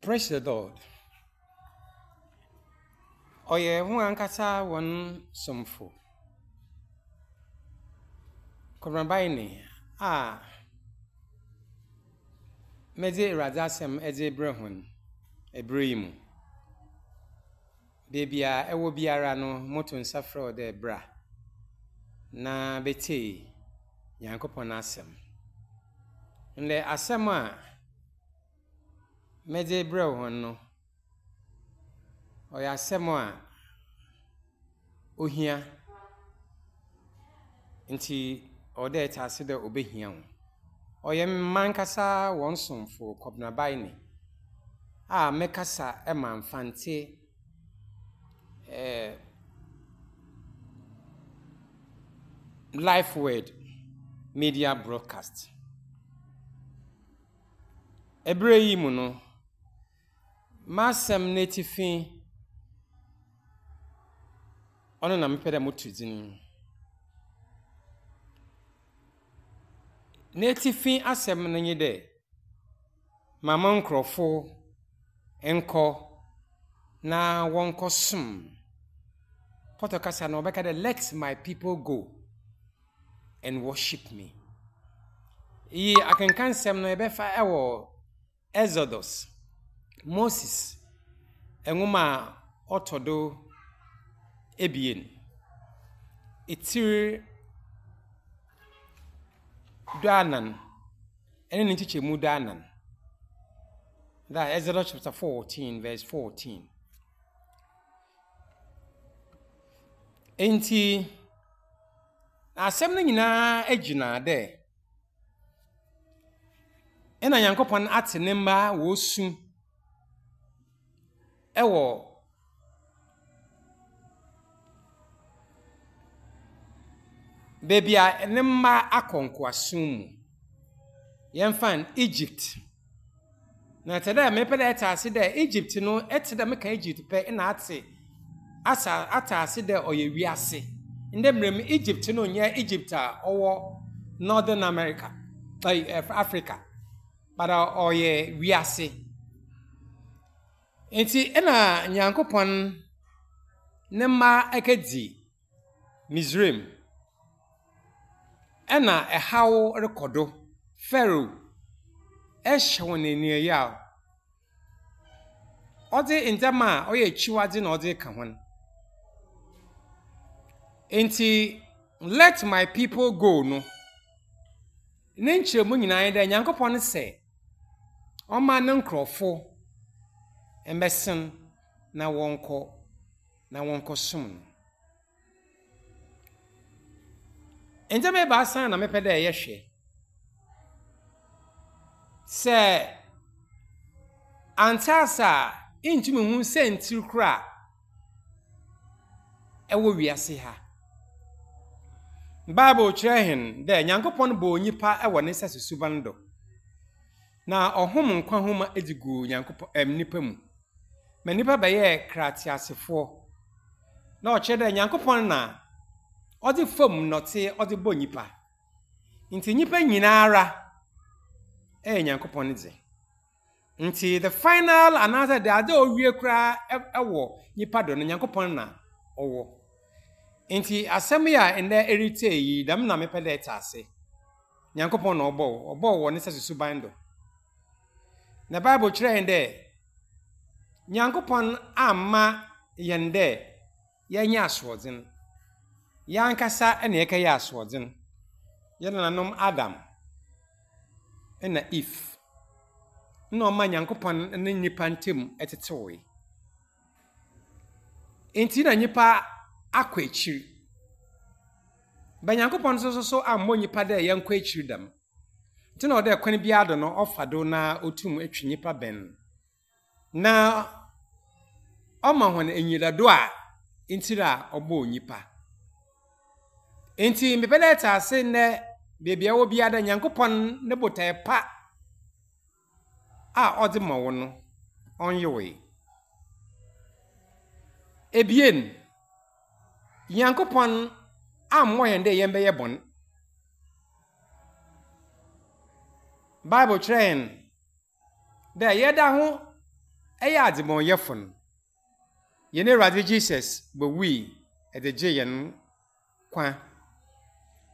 Praise the Lord. Ɔyɛ hɔn ankasa hɔn somfo, Kwabena Baene a medze Ewuradze asɛm dze rebrɛ hɔn ber yi mu. Beebi a ɛwɔ biara no, moto nsa frɛ wo dɛ bra na betsie Nyankopɔn n'asɛm. Ndɛ asɛm a medze rebrɛ hɔn no, ɔyɛ asɛm a ohia ntsi ɔwɔ dɛ etse ase dɛ obehia wo. Ɔyɛ mankasa hɔn somfo Kwabena Baene a mekasa ma Mfantse Life Word Media Broadcast. Ɛberɛ yi mu no, m'asɛm n'etsifi, ɔno na mepɛ dɛ moto dzin. N'etsifi asɛm no nye dɛ, ma mo nkorɔfo nkɔ na wɔnkɔsom. Pɔtɔ kasa no wɔbɛka dɛ let my people go and worship me. Iyi akenkansɛm no yɛbɛfa wɔ Exodus, Moses nwoma a ɔtɔ do ebien, tsir duanan ne ne nkyekyɛmu duanan. That Exodus chapter 14 verse 14. Ntsi asɛm no nyinaa gyina dɛ nna Nyankopɔn atse ne mba wosu wɔ beebi a ne mba akɔ nkoasom mu. Yɛmfa no Egypt. Na tse dɛ mepɛ dɛ etse ase dɛ Egypt no, etse dɛ meka Egypt pɛ nna atse asa atse ase dɛ ɔyɛ wiase. Ndɛ mber mu Egypt no nnyɛ Egypt a ɔwɔ Northern America, Africa, but ɔyɛ wiase. Ntsi nna Nyankopɔn ne mba ekedzi Misraim. Nna haw rokɔ do. Pharaoh hyɛ hɔn enuayaw. Ɔdze ndzɛmba a ɔyɛ ekyiwadze na ɔdze reka hɔn. Ntsi let my people go no, ne nkyerɛmu nyina nye dɛ Nyankopɔn se ɔmma no nkorɔfo mbɛsen na wɔnkɔ na wɔnkɔsom no. Ndzɛmba ebiasa na mepɛ dɛ yɛhwɛ. Sɛ anntse ase a, inntum nnhu siantsir kor a ɛwɔ wiase ha. Bible kyerɛ hɛn dɛ Nyankopɔn bɔɔ nyimpa wɔ ne sɛso suban do, na ɔhom nkwa homa dze guu Nyankopɔn ɛɛm nyimpa mu ma nyimpa bɛyɛɛ kra tseasefoɔ. Na ɔkyerɛ dɛ Nyankopɔn na ɔdze famu ndɔtse ɔdze bɔɔ nyimpa. Ntsi nyimpa nyinara yɛ Nyankopɔn ne dze. Ntsi the final anaasɛ dɛ adze a owie koraa wɔ nyimpa do no Nyankopɔn na ɔwɔ. Ntsi asɛm yi a ndɛ eretsie yi, dɛm na mepɛ dɛ etse ase. Nyankopɔn na ɔbɔɔ wo, ɔbɔɔ wo wɔ ne sɛso suban do. Na Bible kyerɛ hɛn dɛ Nyankopɔn amma hɛn dɛ yɛnyɛ asoɔdzen. Yɛankasa na yɛkɛyɛɛ asoɔdzen. Hɛn nananom Adam na Eve nna ɔma Nyankopɔn ne nyimpa ntamu tsetsewee. Ntsi na nyimpa akɔ ekyir. But Nyankopɔn so so ammbɔ nyimpa dɛ yɛnkɔ ekyir dɛm. Ntsi na ɔwɔ dɛ kwan biara do no ɔfa do na otum twe nyimpa bɛn no. Na ɔma hɔn enyidado a ntsi a ɔbɔɔ nyimpa. Ntsi mepɛ dɛ etse ase ndɛ beebi a ewɔ biara dɛ Nyankopɔn ne botae pa a ɔdze ma wo no, ɔnnyewee. Ebien, Nyankopɔn ammbɔ hɛn dɛ yɛmbɛyɛ bɔn. Bible kyerɛ hɛn dɛ yɛda ho. yɛ adzebɔnyɛfo no, hɛn Ewuradze Jesus bowui dze gyee hɛn nkwa.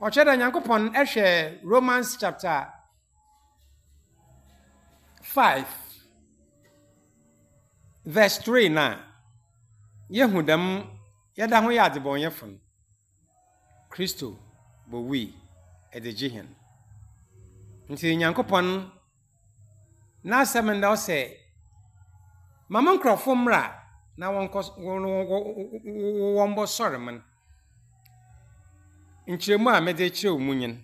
Ɔkyerɛ dɛ Nyankopɔn hwɛ Romans chapter 5 verse 3 no a, yehu dɛm yɛda ho yɛ adzebɔnyɛfo no, Kristo bowui dze gye hɛn. Ntsi Nyankopɔn n'asɛm ndɛ ɔsɛ, Ma mo nkorɔfo mbra na wɔnkɔ wɔmbɔsɔr me. Nkyerɛmu a medze rekyerɛ wo mu nye no.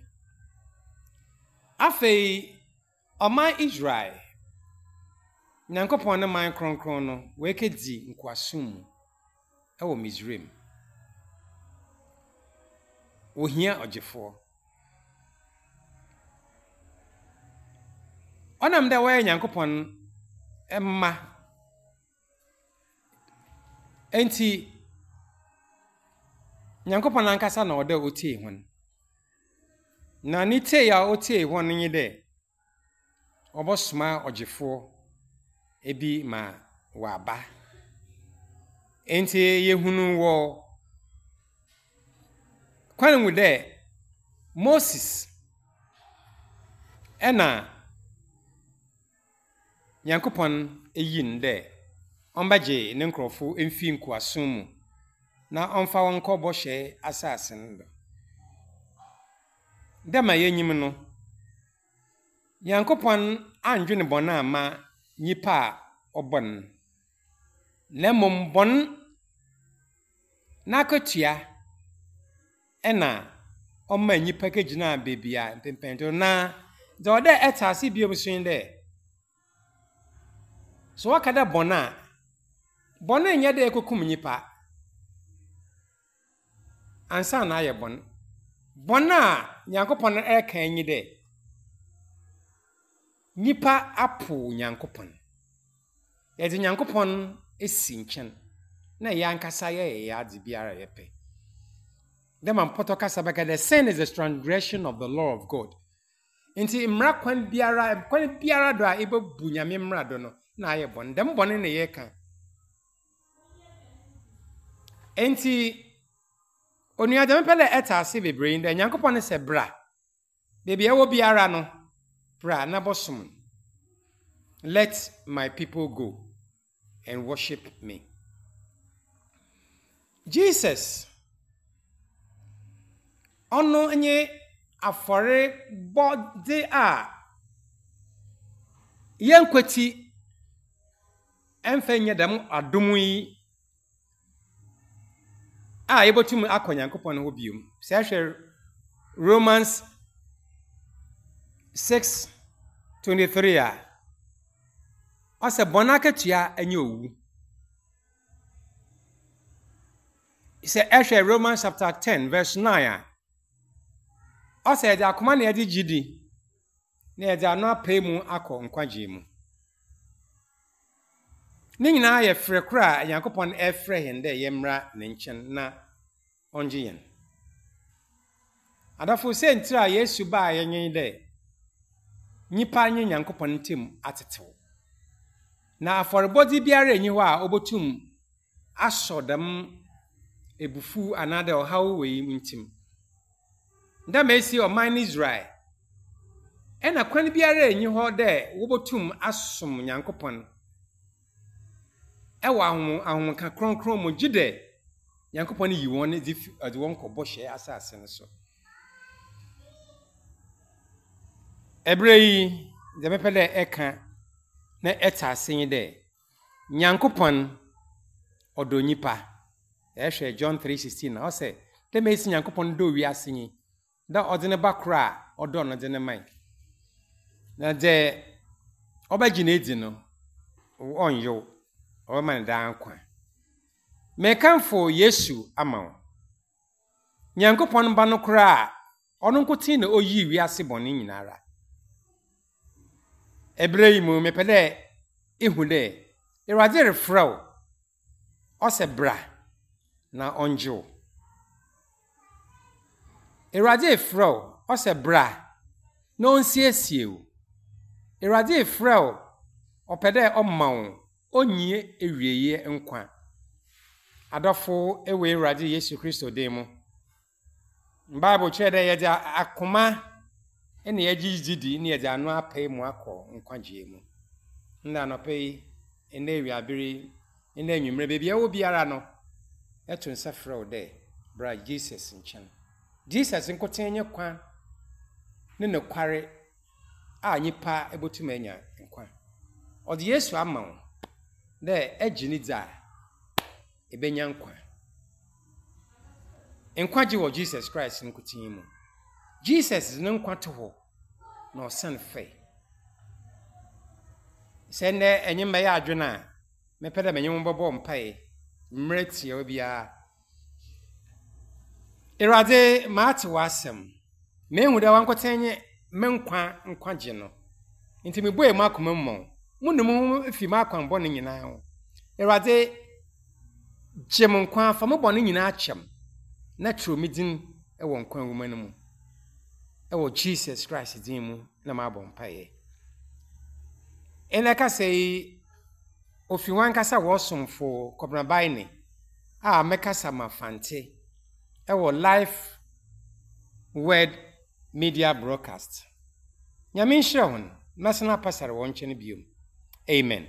Afei ɔman Israel, Nyankopɔn ne man krɔnkrɔn no, woekedzi nkoasom mu wɔ Misraim. Wohia ɔgyefoɔ. Ɔnam dɛ wɔyɛ Nyankopɔn mma ntsi, Nyankopɔn ankasa na ɔwɔ dɛ otsie hɔn. Na ne tsie a otsie hɔn nye dɛ, ɔbɔsoma ɔgyefoɔ bi ma ɔaba. Ntsi yehunu wɔ kwan mu dɛ Moses na Nyankopɔn eyi no dɛ ɔmbɛgye ne nkorɔfo mfi nkoasom mu na ɔmfa hɔn nkɔ bɔhyɛ asaase no do. Dɛ ma yenyim no, Nyankopɔn anndwen bɔn amma nyimpa a ɔbɔ no, na mbom bɔn n'akatua na ɔmaa nyimpa kegyinaa beebi a mpɛnpɛndo. Na dza ɔwɔ dɛ ɛtse ase bio so nye dɛ, sɛ wɔka dɛ bɔn a, bɔn nnyɛ dɛ ekokum nyimpa ansaana ayɛ bɔn. Bɔn a Nyankopɔn reka nye dɛ, nyimpa apow Nyankopɔn. Yɛdze Nyankopɔn esi nkyɛn na hɛn ankasa yɛyɛ hɛn adze biara a yɛpɛ. Dɛ ma mpɔtɔ kasa bɛka dɛ, sin is the transgression of the law of God. Ntsi mbra kwan biara, kwan biara do a ebobu Nyame mbra do no, nna ayɛ bɔn. Dɛm bɔn no na yɛreka. Ntsi, onua dza mepɛ dɛ ɛtse ase beberee nye dɛ, Nyankopɔn sɛ bra. Beebi a ɛwɔ biara no, bra na bɔsom no. Let my people go and worship me. Jesus, ɔno nye afɔrebɔdze a yɛnkwetsi ɛmfa nnya dɛm adom yi a yebotum akɔ Nyankopɔn hɔ bio. Sɛ ehwɛ Romans 6:23 a, ɔsɛ bɔn akatua nye owu. Sɛ ehwɛ Romans chapter 10 verse 9 a, ɔsɛ yɛdze akoma na yɛdze gye di na yɛdze ano apae mu akɔ nkwagye mu. Ne nyinaa yɛ frɛ kor a Nyankopɔn refrɛ hɛn dɛ yɛmbra ne nkyɛn na ɔngye hɛn. Adɔfo, siantsir a Yesu bae nye dɛ nyimpa nye Nyankopɔn ntamu atsetsew. Na afɔrbɔdze biara nnyi hɔ a obotum asɔ dɛm ebufuw anaadɛ ɔhaw wei ntsim. Dɛ ma esi ɔman Israel, nna kwan biara nnyi hɔ dɛ wobotum asom Nyankopɔn wɔ ahomka krɔnkrɔn mu gyedɛ Nyankopɔn yi hɔn dze fi ɔdze hɔn kɔ bɔhyɛ asaase no so. Ber yi, dza mepɛ dɛ eka na etse ase nye dɛ, Nyankopɔn ɔdɔ nyimpa. Ehwɛ John 3:16 a, ɔsɛ, Dɛ mesi Nyankopɔn dɔɔ wiase nyi, dɛ ɔdze ne Ba kor a ɔdɔ no dze no mae, na dza ɔbɛgye no edzi no, ɔnnyew, ɔbɛma no daa nkwa. Merekamfo Yesu ama wo. Nyankopɔn Ba no koraa a ɔno nkotsee na oyii wiase bɔn nyinara. Ber yi mu, mepɛ dɛ ihu dɛ Ewuradze refrɛ wo, ɔsɛ bra na ɔngye wo. Ewuradze refrɛ wo, ɔsɛ bra na onsiesie wo. Ewuradze refrɛ wo, ɔpɛ dɛ ɔma wo. onnyi ewieɛ nkwa. Adɔfo wɔ Ewuradze Yesu Kristo din mu, Bible kyerɛ dɛ yɛdze akoma na yɛgye dzi di na yɛdze ano apae mu akɔ nkwagyeɛ mu. Ndɛ anɔpa yi, ndɛ ewiaber yi, ndɛ ewimbir, beebi a ewɔ biara no, yɛto nsa frɛ wo dɛ bra Jesus nkyɛn. Jesus nkotsee nye kwan ne nokware a nyimpa botum enya nkwa. Ɔdze Yesu ama wo dɛ egye no dzi a, ebenya nkwa. Nkwagye wɔ Jesus Christ nkotsee mu. Jesus dze no nkwa to hɔ na ɔsan fae. Sɛ ndɛ enye me bɛyɛ adwen a, mɛpɛ dɛ menye wo bɔbɔ mpae mber tsiawa biara. Ewuradze, matse w'asɛm. Mehu dɛ wankotsee nye me nkwa nkwagye no. Ntsi mibue m'akoma mu ma wo. Munu moho fi m'akwan bɔn nyina ho. Ewuradze, gye mo nkwa, fa mo bɔn nyina kyɛ m', na kyerɛw me dzin wɔ nkwa nwoma no mu. Wɔ Jesus Christ dzin mu na mabɔ mpaeɛ. Ndɛ kasa yi, ofi wankasa w'ɔsomfo Kɔbena Baine a mekasa ma Fante wɔ Life Word Media Broadcast. Nyame nhyira hɔn, mɛsan apasar hɔn nkyɛn bio. Amen.